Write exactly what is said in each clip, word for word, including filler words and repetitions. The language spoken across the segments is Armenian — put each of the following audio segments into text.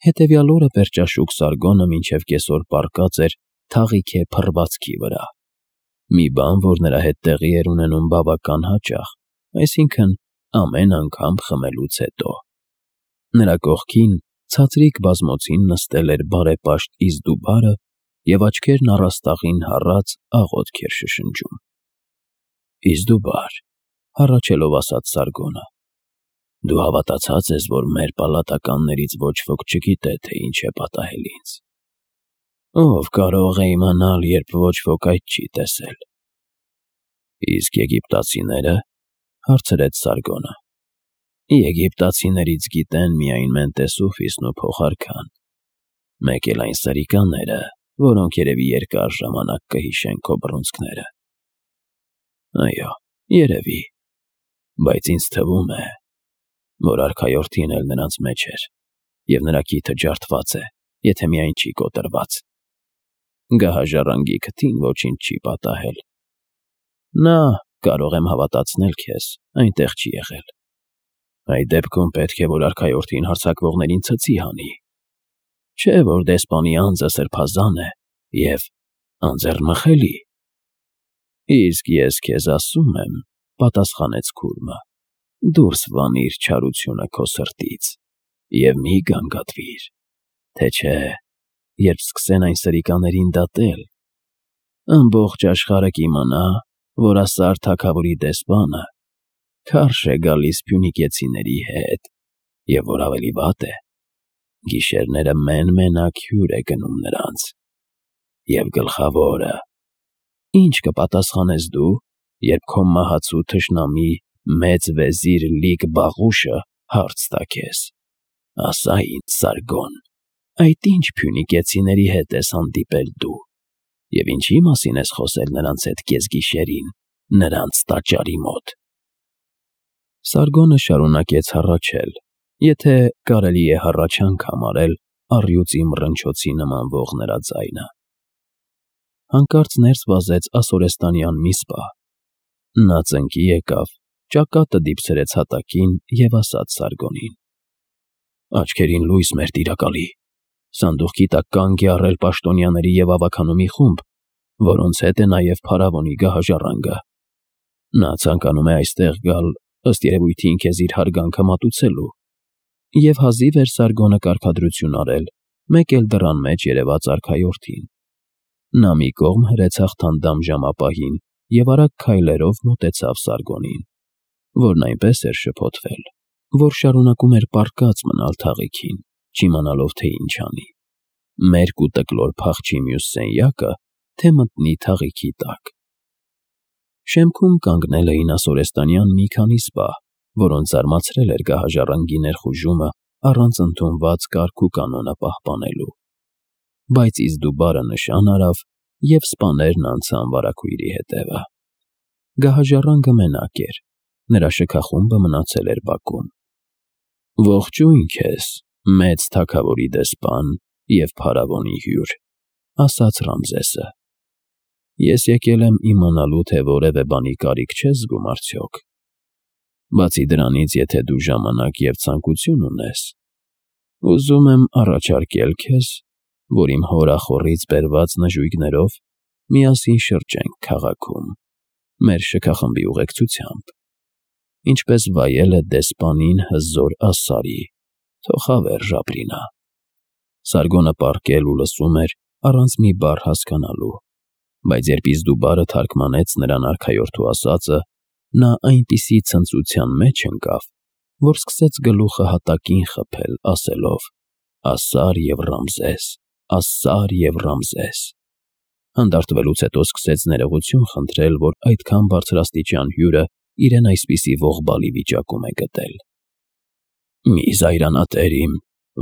Հետևյալ օրը պերճաշուք Սարգոնը մինչև կեսօր պառկած էր թաղիքե փռվածքի վրա, մի բան, որ նրա հետ տեղի էր ունենում բավական հաճախ, այսինքն ամեն անգամ խմելուց հետո։ Նրա կողքին ցածրիկ բազմոցին նստել էր բարեպաշտ Իզդուբարը և աչքերն առաստաղին հառած աղոթք էր շշնջում։ Իզդուբար, հառաչելով ասաց Սարգոնը, դու հավատացած ես, որ մեր պալատականներից ոչ ոք չգիտե, թե ինչ է պատահել ինձ։ Ով կարող է իմանալ, երբ ոչ ոք այդ չի տեսել։ Իսկ եգիպտացիները, հարցրեց Սարգոնը։ Եգիպտացիներից գիտեն միայն Մենտեսուֆիսն ու փոխարքան, մեկ էլ այն սրիկաները, որոնք երևի երկար ժամանակ կհիշեն քո բռունցքները։ Այո, երևի, բայց ինձ թվում է, որ արքայորդին էլ նրանց մեջ էր, և նրա քիթը ջարդված է, եթե միայն չի կոտրված։ Գահաժառանգի քթին ոչինչ չի պատահել։ Նա, կարող եմ հավատացնել քեզ, այնտեղ չի եղել։ Այդ դեպքում պետք է, որ արքայորդին հարձակվողներին ցցի հանի։ Չէ՞ որ դեսպանի անձը սրբազան է և անձեռնմխելի։ Իսկ ես քեզ ասում եմ, պատասխանեց քուրմը, դուրս վանիր չարությունը քո սրտից և մի գանգատվիր, թե չէ, երբ սկսեն այն սրիկաներին դատել, ամբողջ աշխարհը կիմանա, որ Ասար թագավորի դեսպանը քարշ է գալիս փյունիկեցիների հետ, և որ ավելի վատ է, գիշերները մեն֊մենակ հյուր է գնում նրանց։ Եվ գլխավորը, ինչ կպատասխանես դու, երբ քո մահացու թշնամի մեծ վեզիր Լիկ-Բաղուշը հարց տա քեզ. ասա ինձ, Սարգոն, այդ ինչ փյունիկեցիների հետ ես հանդիպել դու, և ինչի մասին ես խոսել նրանց հետ կեսգիշերին, նրանց տաճարի մոտ։ Սարգոնը շարունակեց հառաչել, եթե կարելի է հառաչանք համարել առյուծի մռնչոցի նմանվող նրա ձայնը։ Հանկարծ ներս վազեց ասորեստանյան մի սպա։ Նա ծնկի եկավ, ճակատը դիպցրեց հատակին և ասաց Սարգոնին. Աչքերին լույս, մեր տիրակալի, սանդուղքի տակ կանգ է առել պաշտոնյաների և ավագանու մի խումբ, որոնց հետ է նաև փարավոնի գահաժառանգը։ Նա ցանկանում է այստեղ գալ, ըստ երևույթին քեզ իր հարգանքը մատուցելու, և հազիվ էր Սարգոնը կարգադրություն արել, մեկ էլ դռան մեջ երևաց արքայորդին։ Նա մի կողմ հրեց հաղթանդամ ժամապահին և արագ քայլերով մոտեցավ Սարգոնին, որն այնպես էր շփոթվել, որ շարունակում էր պառկած մնալ թաղիքին, չիմանալով, թե ինչ անի, մերկ ու տկլոր փախչի մյուս սենյակը, թե մտնի թաղիքի տակ։ Շեմքում կանգնել էին ասորեստանյան մի քանի սպա, որոնց զարմացրել էր գահաժառանգի ներխուժումը առանց ընդունված կարգ ու կանոնը պահպանելու։ Բայց Իզդուբարը նշան արավ, և սպաներն անցան վարագույրի հետևը։ Գահաժառանգը մենակ էր, նրա շքախումբը մնացել էր բակում։ Ողջույն քեզ, մեծ թագավորի դեսպան և փարավոնի հյուր, ասաց Ռամզեսը։ Ես եկել եմ իմանալու, թե որևէ բանի կարիք չես զգում արդյոք։ Բացի դրանից, եթե դու ժամանակ և ցանկություն ունես, ուզում եմ առաջարկել քեզ, որ իմ հորախոռից բերված նժույգներով միասին շրջենք քաղաքում, մեր շքախմբի ուղեկցությամբ, ինչպես վայել է դեսպանին հզոր Ասարի, թոխավեր Ժաբրինը։ Սարգոնը պառկել ու լսում էր առանց մի բառ հասկանալու, բայց երբ Իզդուբարը թարգմանեց նրան արքայորդու ասածը, նա այնպիսի ցնծության մեջ ընկավ, որ սկսեց գլուխը հատակին խփել, ասելով. Ասար և Ռամզես, Ասար և Ռամզես։ Հանդարտվելուց հետո սկսեց ներողություն խնդրել, որ այդքան բարձրաստիճան հյուրը իրեն այսպիսի ողբալի վիճակում է գտել։ Մի զայրանա, տեր իմ,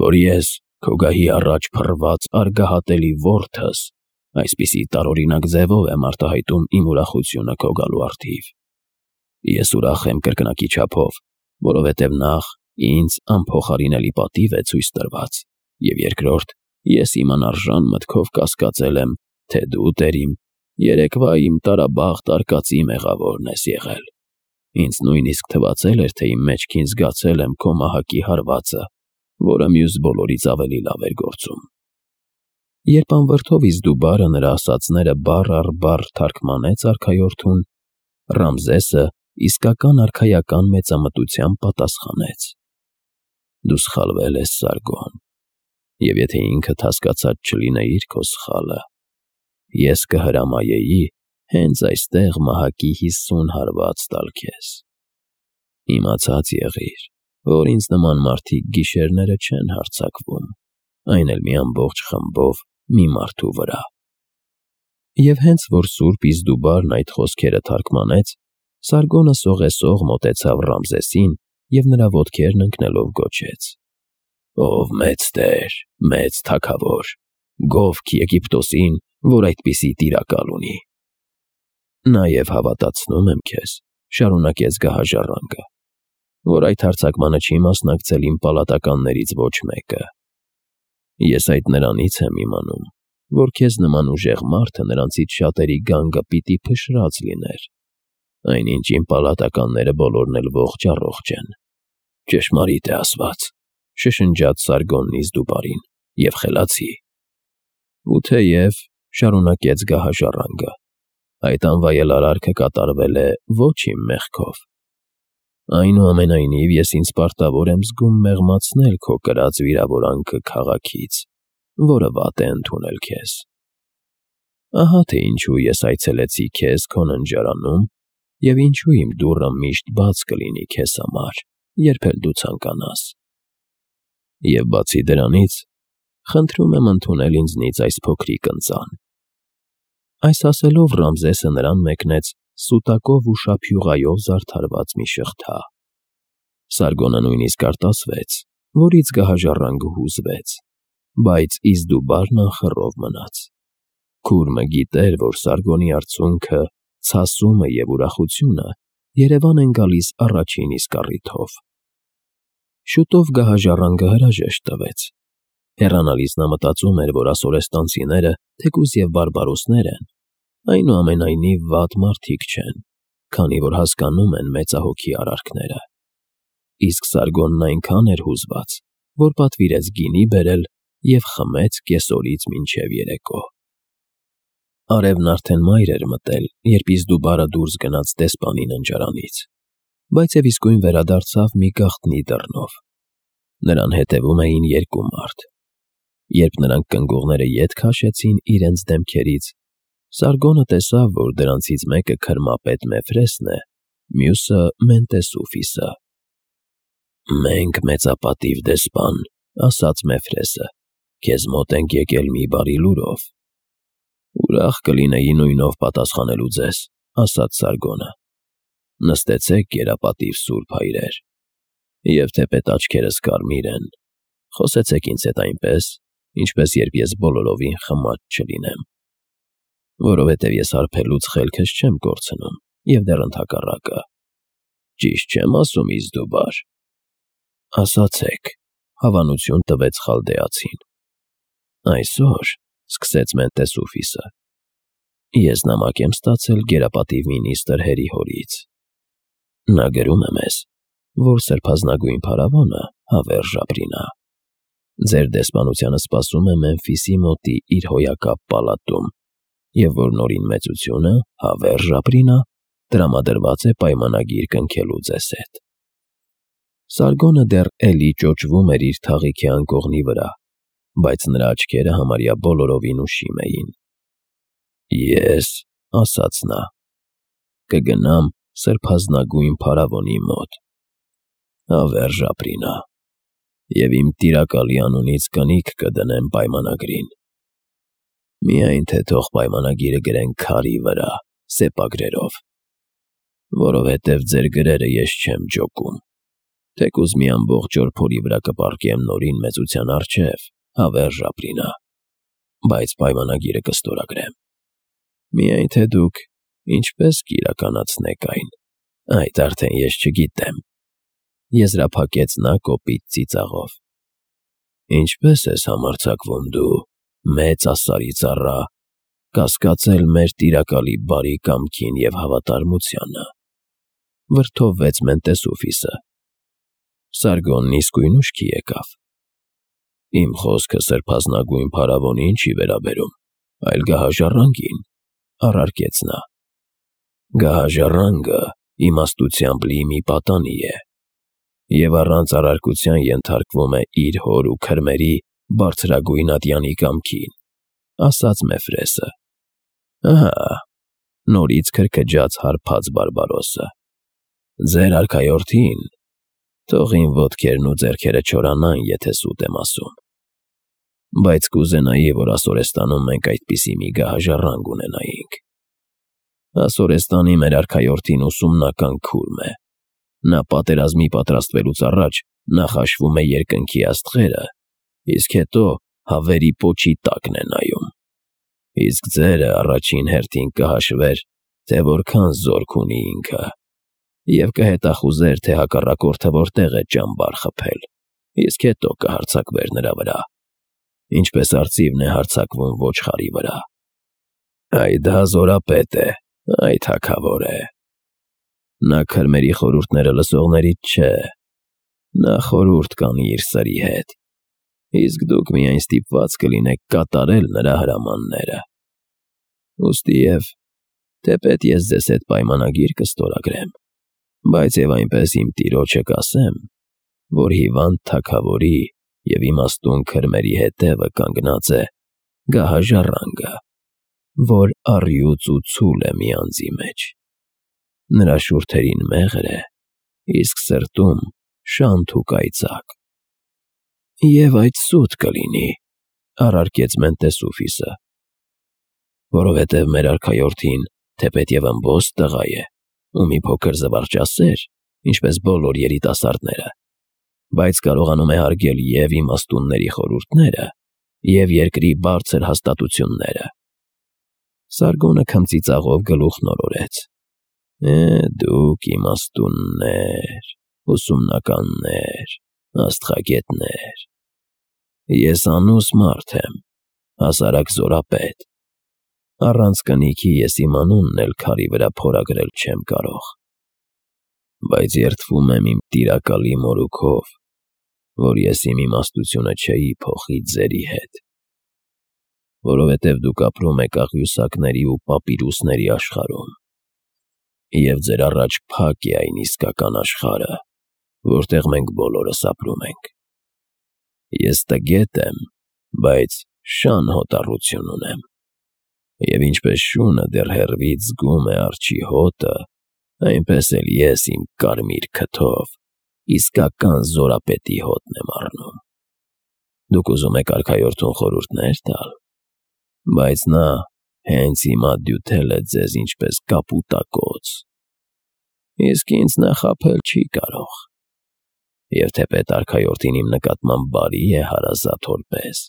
որ ես, քո գահի առաջ փռված արգահատելի որդս, այսպիսի տարօրինակ ձևով եմ արտահայտում իմ ուրախությունը քո գալու առթիվ։ Ես ուրախ եմ կրկնակի չափով, որովհետև նախ ինձ անփոխարինելի պատիվ է ցույց տրված, և երկրորդ, ես իմ անարժան մտքով կասկածել եմ, թե դու, տեր իմ, երեկվա իմ տարաբախտ արկածի մեղավորն ես եղել։ Ինձ նույնիսկ թվացել էր, թե իմ մեջքին զգացել եմ քո մահակի հարվածը, որը մյուս բոլորից ավելի լավ էր գործում։ Երբ անվրդով Իզդուբարը նրա ասածները բառ առ բառ թարգմանեց արքայորդուն, Ռամզեսը իսկական արքայական մեծամտությամբ պատասխանեց. «Դու սխալվել ես, Սարգոն, և եթե ինքդ հասկացած չլինեիր քո սխալը, ես կհրամայեի հենց այստեղ մահակի հիսուն հարված տալ քեզ։ Իմացած եղիր, որ ինձ նման մարդիկ գիշերները չեն հարձակվում, այն էլ մի ամբողջ խմբով մի մարդու վրա»։ Եվ հենց որ սուրբ Իզդուբարն այդ խոսքերը թարգմանեց, Սարգոնը սողեսող մոտեցավ Ռամզեսին և նրա ոտքերն ընկնելով գոչեց. «Ով մեծ տեր, մեծ թագավոր, գովք Եգիպտոսին, որ այդպիսի տիրակալ ունի»։ «Նաև հավատացնում եմ քեզ», շարունակեց գահաժառանգը, «որ այդ հարձակմանը չի մասնակցել իմ պալատականներից ոչ մեկը։ Ես այդ նրանից եմ իմանում, որ քեզ նման ուժեղ մարդը նրանցից շատերի գանգը պիտի փշրած լիներ, այնինչ իմ պալատականները բոլորն էլ ողջ֊առողջ են»։ «Ճշմարիտ է ասված», շշնջաց Սարգոնն Իզդուբարին, «և խելացի»։ «Ու թեև», շարունակեց գահաժառանգը, «այդ անվայել արարքը կատարվել է ոչ իմ մեղքով, այնուամենայնիվ ես ինձ պարտավոր եմ զգում մեղմացնել քո կրած վիրավորանքը քաղաքից, որը վատ է ընդունել քեզ։ Ահա թե ինչու ես այցելեցի քեզ քո ննջարանում և ինչու իմ դուռը միշտ բաց կլինի քեզ համար, երբ էլ դու ցանկանաս։ Եվ բացի դրանից, խնդրում եմ ընդունել ինձնից այս փոքրիկ ընծան»։ Այս ասելով Ռամզեսը նրան մեկնեց սուտակով ու շափյուղայով զարդարված մի շղթա։ Սարգոնը նույնիսկ արտասվեց, որից գահաժառանգը հուզվեց, բայց Իզդուբարն անխռով մնաց։ Քուրմը գիտեր, որ Սարգոնի արցունքը, ցասումը և ուրախությունը երևան են գալիս առաջին իսկ առիթով։ Շուտով գահաժառանգը հրաժեշտ տվեց։ Հեռանալիս նա մտածում էր, որ ասորեստանցիները, թեկուզ և բարբարոսներ են, այնուամենայնիվ վատ մարդիկ չեն, քանի որ հասկանում են մեծահոգի արարքները։ Իսկ Սարգոնն այնքան էր հուզված, որ պատվիրեց գինի բերել և խմեց կեսօրից մինչև երեկո։ Արևն արդեն մայր էր մտել, երբ Իզդուբարը դուրս գնաց դեսպանի ննջարանից, բայց և իսկույն վերադարձավ մի գաղտնի դռնով։ Նրան հետևում էին երկու մարդ։ Երբ նրանք կնգուղները ետ քաշեցին իրենց դեմքերից, Սարգոնը տեսավ, որ դրանցից մեկը քրմապետ Մեֆրեսն է, մյուսը Մենտեսուֆիսը։ «Մենք, մեծապատիվ դեսպան, ասաց Մեֆրեսը, քեզ մոտ ենք եկել մի բարի լուրով»։ «Ուրախ կլինեի նույնով պատասխանելու ձեզ», ասաց Սարգոնը։ «Նստեցեք, գերապատիվ սուրբ հայրեր, և թեպետ աչքերս կարմիր են, խոսեցեք ինձ հետ այնպես, ինչպես երբ ես բոլորովին խմած չլինեմ, որովհետև ես հարբելուց խելքս չեմ կորցնում և դեռ ընդհակառակը։ Ճիշտ չեմ ասում, Իզդուբար»։ «Ասացեք», հավանություն տվեց խալդեացին։ «Այսօր», սկսեց Մենտեսուֆիսը, «ես նամակ եմ ստացել գերապատիվ մինիստր Հերիհորից։ Նա գրում է մեզ, որ սրբազնագույն փարավոնը հավերժ ապրինա։ Ձեր դեսպանությանը սպասում է Մեմֆիսի մոտի իր հոյակապ պալատում, և որ նորին մեծությունը հավերժ ապրինա տրամադրված է պայմանագիր կնքելու ձեզ հետ»։ Սարգոնը դեռ էլի ճոճվում էր իր թաղիքի անկողնի վրա, բայց նրա աչքերը համարյա բոլորովին ուշիմ էին։ «Ես», ասաց նա, «կգնամ սրբազնագույն փարավոնի մոտ, հավերժ ապրինա, և իմ տիրակալի անունից կնիկ կդնեմ պայմանագրին։ Միայն թե թող պայմանագիրը գրեն քարի վրա, սեպագրերով, որովհետև ձեր գրերը ես չեմ ջոկում։ Թեկուզ մի ամբողջ օր փորի վրա կպառկեմ նորին մեծության առջև, հավերժ ապրինա, բայց պայմանագիրը կստորագրեմ։ Միայն թե դուք ինչպես կիրականացնեք այն, այդ արդեն ես չգիտեմ», եզրափակեց նա կոպիտ ծիծաղով։ «Ինչպե՞ս ես համարձակվում դու, մեծ ասարի ծառա, կասկածել մեր տիրակալի բարի կամքին և հավատարմությանը», վրդովվեց Մենտեսուֆիսը։ Սարգոնն իսկույն ուշքի եկավ։ Իմ խոսքը սրբազնագույն փարավոնին չի վերաբերում, այլ գահաժառանգին, առարկեց նա։ Գահաժառանգը իմաստությամբ լի մի պատանի է, և առանց առարկության ենթարկվում է իր հոր ու քրմերի բարձրագույն ատյանի կամքին, ասաց Մեֆրեսը։ Ահա, նորից քրքջաց հարբած Բարբարոսը, ձեր արքայորդին, թող իմ ոտքերն ու ձեռքերը չորանան, եթե սուտ եմ ասում, բայց կուզենայի, որ Ասորեստանում մենք այդպիսի մի գահաժառանգ ունենայինք։ Ասորեստանի մեր արքայորդին ուսումնական քուրմ է, նա պատերազմի պատրաստվելուց առաջ նախաշվում է երկնքի աստղերը, իսկ հետո հավերի պոչի տակն է նայում, իսկ ձերը առաջին հերթին կհաշվեր, թե որքան զորք ունի ինքը, և կհետախուզեր, թե հակառակորդը որտեղ է ճամբար խփել, իսկ հետո կհարձակվեր նրա վրա, ինչպես արծիվն է հարձակվում ոչխարի վրա։ Այ դա զորապետ է, այ թագավոր է։ Նա քրմերի խորհուրդները լսողներից չէ, նա խորհուրդ կանի իր սրի հետ, իսկ դուք միայն ստիպված կլինեք կատարել նրա հրամանները։ Ուստիև, թեպետ ես ձեզ հետ պայմանագիր կստորագրեմ, բայց և այնպես իմ տիրոջը կասեմ, որ հիվանդ թագավորի և իմաստուն քրմերի հետևը կանգնած է գահաժառանգը, որ առյուծ ու ցուլ է մի անձի մեջ։ Նրա շուրթերին մեղր է, իսկ սրտում շանթ ու կայծակ։ Եվ այդ սուտ կլինի, առարկեց Մենտեսուֆիսը, որովհետև մեր արքայորդին թեպետ և ըմբոստ տղա է ու մի փոքր զվարճասեր, ինչպես բոլոր երիտասարդները, բայց կարողանում է հարգել և իմաստունների խորհուրդները, և երկրի բարձր հաստատությունները։ Սարգոնը քմծիծաղով գլուխ նորորեց. Է, դուք իմաստուններ, ուսումնականներ, աստղագետներ։ Ես անուս մարդ եմ, հասարակ զորապետ։ Առանց կնիքի ես իմ անունն էլ քարի վրա փորագրել չեմ կարող, բայց երդվում եմ իմ տիրակալի մորուքով, որ ես իմ իմաստությունը չէի փոխի ձերի հետ, որովհետև դուք ապրում եք աղյուսակների ու պապիրուսների աշխարհում, և ձեր առաջ փակ է այն իսկական աշխարհը, որտեղ մենք բոլորս ապրում ենք։ Ես տգետ եմ, բայց շան հոտառություն ունեմ, և ինչպես շունը դեռ հեռվից զգում է արջի հոտը, այնպես էլ ես իմ կարմիր քթով իսկական զորապետի հոտն եմ առնում։ Դուք ուզում եք արքայորդուն խորհուրդներ տալ, բայց նա հենց հիմա դյութել է ձեզ ինչպես կապուտակոց, իսկ ինձ նա խաբել չի կարող, և թեպետ արքայորդին իմ նկատմամբ բարի է հարազատ հոր պես,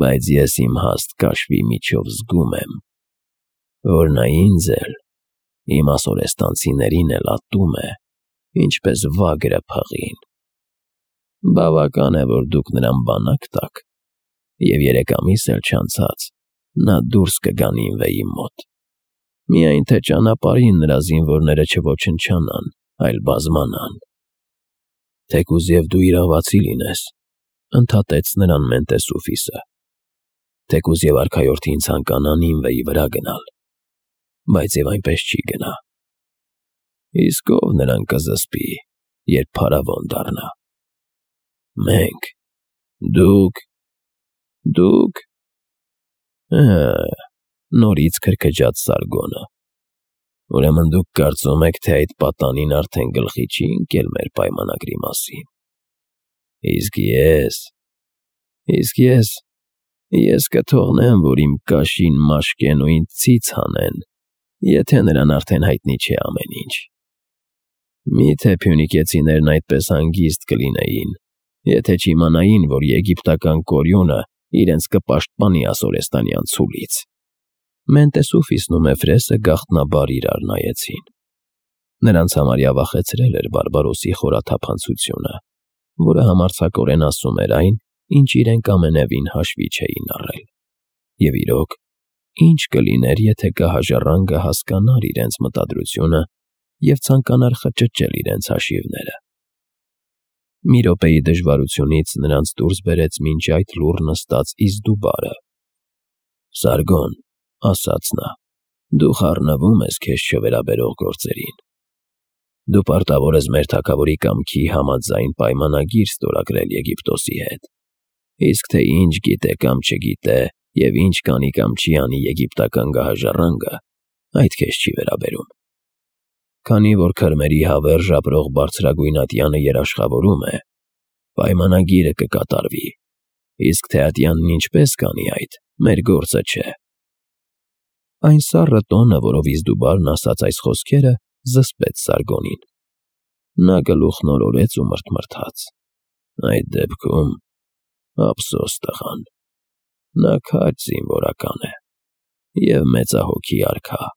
բայց ես իմ հաստ կաշվի միջով զգում եմ, որ նա ինձ էլ, իմ ասորեստանցիներին էլ ատում է, ինչպես վագրը փղին։ Բավական է, որ դուք նրան բանակ տաք, և երեք ամիս էլ չանցած նա դուրս կգա Նինվեի մոտ, միայն թե ճանապարհին նրա զինվորները չոչնչանան, այլ բազմանան։ Թեկուզ և դու իրավացի լինես, ընդհատեց նրան Մենտեսուֆիսը, թեկուզ և արքայորդին ցանկանա Նինվեի վրա գնալ, բայց և այնպես չի գնա։ Իսկ ով նրան կզսպի, երբ փարավոն դառնա։ Մենք, դուք, դուք… Ըհը, նորից քրքջաց Սարգոնը։ Ուրեմն դուք կարծում եք, թե այդ պատանին արդեն գլխի չի ընկել մեր պայմանագրի մասին։ Իսկ ես… Իսկ ես… Ես կթողնեմ, որ իմ կաշին մաշկեն ու ինձ ցից հանեն, եթե նրան արդեն հայտնի չէ ամեն ինչ։ Մի՞թե փյունիկեցիներն այդպես հանգիստ կլինեին, եթե չիմանային, որ եգիպտական կորյունը իրենց կպաշտպանի ասորեստանյան ցուլից։ Մենտեսուֆիսն ու Մեֆրեսը գաղտնաբար իրար նայեցին։ Նրանց համարյա վախեցրել էր Բարբարոսի խորաթափանցությունը, որը համարձակորեն ասում էր այն, ինչ իրենք ամենևին հաշվի չէին առել։ Եվ իրոք, ինչ կլիներ, եթե գահաժառանգը հասկանար իրենց մտադրությունը և ցանկանար խճճել իրենց հաշիվները։ Մի րոպեի դժվարությունից նրանց դուրս բերեց մինչ այդ լուռ նստած Իզդուբարը։ ֊ Սարգոն,֊ ասաց նա,֊ դու խառնվում ես քեզ չվերաբերող գործերին։ Դու պարտավոր ես մեր թագավորի կամքի համաձայն պայմանագիր ստորագրել Եգիպտոսի հետ, իսկ թե ինչ գիտե կամ չգիտե և ինչ կանի կամ չի անի եգիպտական գահաժառանգը, այդ քեզ չի վերաբերում։ Քանի որ քրմերի հավերժ ապրող բարձրագույն ատյանը երաշխավորում է, պայմանագիրը կկատարվի, իսկ թե ատյանն ինչպես կանի այդ, մեր գործը չէ։ Այն սառը տոնը, որով Իզդուբարն ասաց այս խոսքերը, զսպեց Սարգոնին։ Նա գլուխն օրորեց ու մռթմռթաց. «Այդ դեպքում ափսոս տղան, նա քաջ զինվորական է և մեծահոգի արքա»։